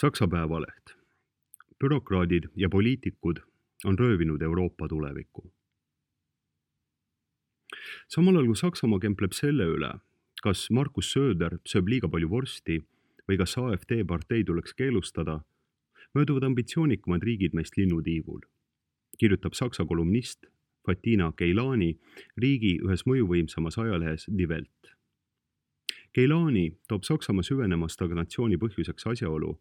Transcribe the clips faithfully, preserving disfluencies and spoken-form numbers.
Saksa Päevaleht. Bürokraadid ja poliitikud on röövinud Euroopa tuleviku. Samal ajal kui Saksamaa kempleb selle üle, kas Markus Söder sööb liiga palju vorsti või kas A F D partei tuleks keelustada, mööduvad ambitsioonikumad riigid meist linnutiivul, kirjutab Saksa kolumnist Fatina Keilani riigi ühes mõjuvõimsamas ajalehes Die Welt. Keilani toob Saksamaa süvenema stagnatsiooni põhjuseks asjaolu,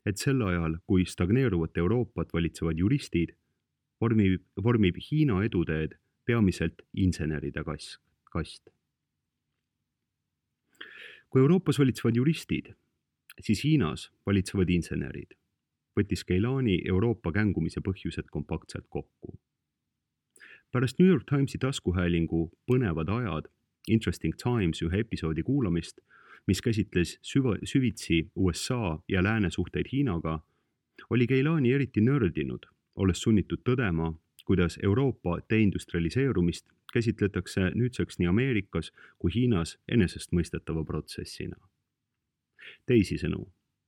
et sel ajal, kui stagneeruvat Euroopat valitsevad juristid, vormib, vormib Hiina eduteed peamiselt inseneride kas, kast. Kui Euroopas valitsevad juristid, siis Hiinas valitsevad insenerid, võttis Keilani Euroopa kängumise põhjused kompaktselt kokku. Pärast New York Timesi taskuhäälingu Põnevad ajad Interesting Times ühe episoodi kuulamist, mis käsitles süva, süvitsi U S A ja lääne suhteid Hiinaga, oli Keilani eriti nördinud, olles sunnitud tõdema, kuidas Euroopa deindustrialiseerumist käsitletakse nüüdseks nii Ameerikas kui Hiinas enesestmõistetava protsessina. Teisisõnu,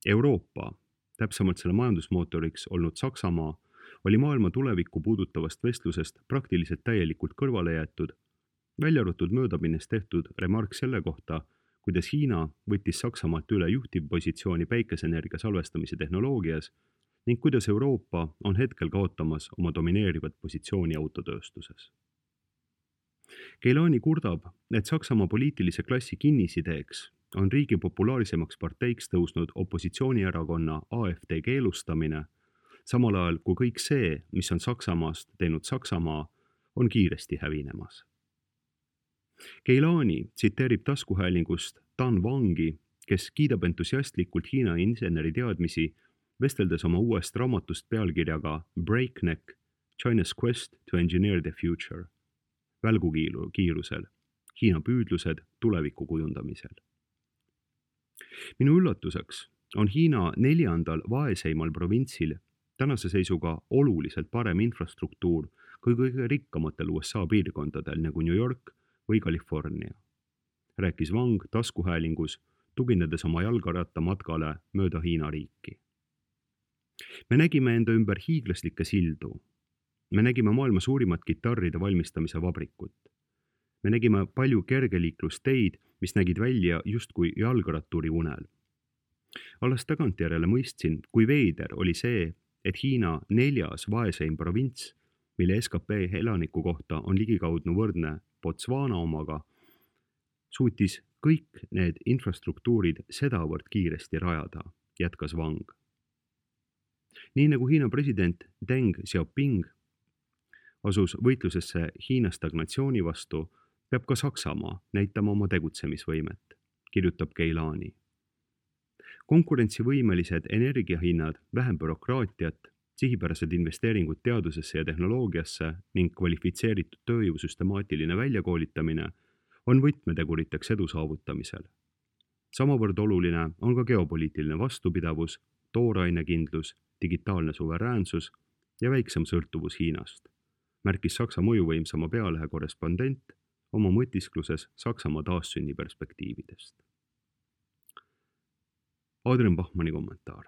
Euroopa, täpsemalt selle majandusmootoriks olnud Saksamaa, oli maailma tulevikku puudutavast vestlusest praktiliselt täielikult kõrvale jäetud, välja arvatud möödapinnes tehtud remark selle kohta, kuidas Hiina võttis Saksamaalt üle juhtivpositsiooni päikeseenergia salvestamise tehnoloogias ning kuidas Euroopa on hetkel kaotamas oma domineerivat positsiooni autotööstuses. Keilani kurdab, et Saksamaa poliitilise klassi kinnisideeks on riigi populaarsemaks parteiks tõusnud opositsioonierakonna A F D keelustamine, samal ajal kui kõik see, mis on Saksamaast teinud Saksamaa, on kiiresti hävinemas. Keilani tsiteerib taskuhäälingust Dan Wangi, kes kiidab entusiastlikult Hiina inseneri teadmisi, vesteldes oma uuest raamatust pealkirjaga Breakneck, China's Quest to Engineer the Future, välgukiirusel, Hiina püüdlused tuleviku kujundamisel. Minu üllatuseks on Hiina neljandal vaeseimal provintsil tänase seisuga oluliselt parem infrastruktuur kui kõige rikkamatel U S A piirkondadel nagu New York või California, rääkis Wang taskuhäälingus, tuginedes oma jalgaratta matkale mööda Hiina riiki. Me nägime enda ümber hiiglaslikke sildu. Me nägime maailma suurimat kitarride valmistamise vabrikut. Me nägime palju kergeliiklusteid, mis nägid välja justkui jalgratturi unel. Alles tagantjärele mõistsin, kui veider oli see, et Hiina neljas vaeseim provints, mille S K P elaniku kohta on ligikaudnu võrdne Botswana omaga, suutis kõik need infrastruktuurid sedavõrd kiiresti rajada, jätkas Wang. Nii nagu Hiina president Deng Xiaoping asus võitlusesse Hiina stagnatsiooni vastu, peab ka Saksamaa näitama oma tegutsemisvõimet, kirjutab Keilani. Konkurentsivõimelised energiahinnad, vähem bürokraatiat, sihipärased investeeringud teadusesse ja tehnoloogiasse ning kvalifitseeritud tööjõu süstemaatiline väljakoolitamine on võtmeteguriteks edu saavutamisel. Samavõrd oluline on ka geopoliitiline vastupidavus, toorainekindlus, digitaalne suveräänsus ja väiksem sõltuvus Hiinast, märkis Saksa mõjuvõimsama pealehe korrespondent oma mõtiskluses Saksamaa taassünni perspektiividest. Adrian Bachmanni kommentaar.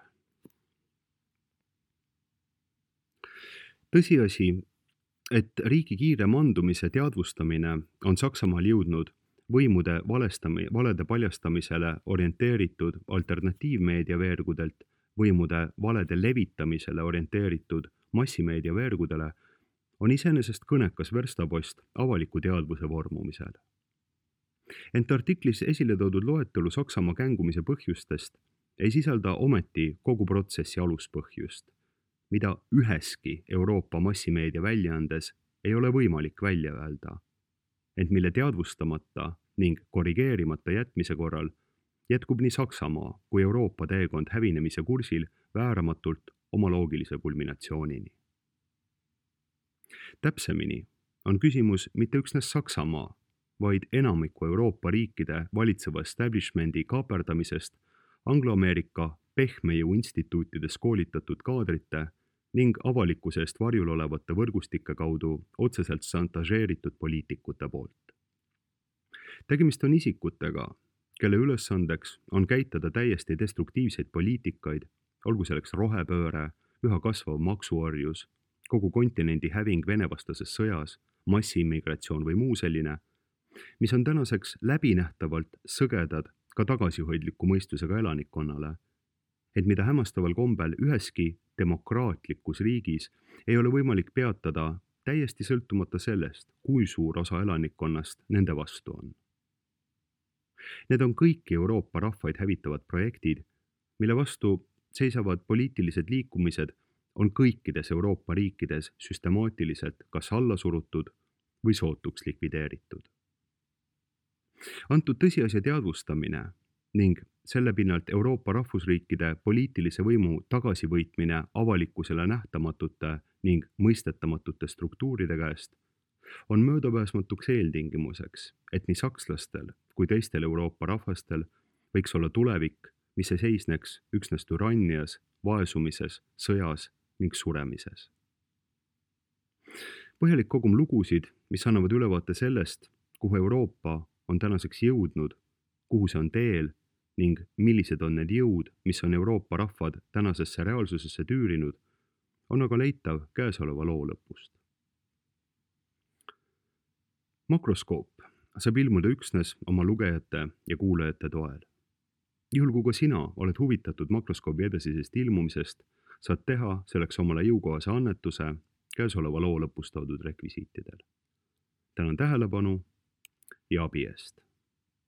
Tõsiasi, et riigi kiire mandumise teadvustamine on Saksamaal jõudnud võimude valestami, valede paljastamisele orienteeritud alternatiivmeedia veergudelt võimude valede levitamisele orienteeritud massimeedia veergudele, on iseenesest kõnekas verstapost avaliku teadvuse vormumisel. Ent artiklis esile toodud loetelu Saksamaa kängumise põhjustest ei sisalda ometi kogu protsessi aluspõhjust, mida üheski Euroopa massimeedia väljaandes ei ole võimalik välja öelda, ent mille teadvustamata ning korrigeerimata jätmise korral jätkub nii Saksamaa kui Euroopa teekond hävinemise kursil vääramatult oma loogilise kulminatsioonini. Täpsemini on küsimus mitte üksnes Saksamaa, vaid enamiku Euroopa riikide valitseva establishmendi kaaperdamisest Anglo-Ameerika pehmejõu instituutides koolitatud kaadrite ning avalikkuse eest varjul olevate võrgustike kaudu otseselt šantažeeritud poliitikute poolt. Tegemist on isikutega, kelle ülesandeks on käitada täiesti destruktiivseid poliitikaid, olgu selleks rohepööre, üha kasvav maksuorjus, kogu kontinendi häving venevastases sõjas, massiimmigratsioon või muu selline, mis on tänaseks läbinähtavalt sõgedad ka tagasihoidliku mõistusega elanikkonnale, et mida hämmastaval kombel üheski demokraatlikus riigis ei ole võimalik peatada täiesti sõltumata sellest, kui suur osa elanikkonnast nende vastu on. Need on kõiki Euroopa rahvaid hävitavad projektid, mille vastu seisavad poliitilised liikumised on kõikides Euroopa riikides süstemaatiliselt kas alla surutud või sootuks likvideeritud. Antud tõsiasja teadvustamine ning selle pinnalt Euroopa rahvusriikide poliitilise võimu tagasivõitmine avalikkusele nähtamatute ning mõistetamatute struktuuride käest on möödapääsmatuks eeltingimuseks, et nii sakslastel kui teistel Euroopa rahvastel võiks olla tulevik, mis ei seisneks üksnes türannias, vaesumises, sõjas ning suremises. Põhjalik kogum lugusid, mis annavad ülevaate sellest, kuhu Euroopa on tänaseks jõudnud, kuhu see on teel ning millised on need jõud, mis on Euroopa rahvad tänasesse reaalsusesse tüürinud, on aga leitav käesoleva loo lõpust. Makroskoop saab ilmuda üksnes oma lugejate ja kuulajate toel. Juhul kui ka sina oled huvitatud makroskoobi edasisest ilmumisest, saad teha selleks omale jõukohase annetuse käesoleva loo lõpus toodud rekvisiitidel. Tänan tähelepanu ja abi eest!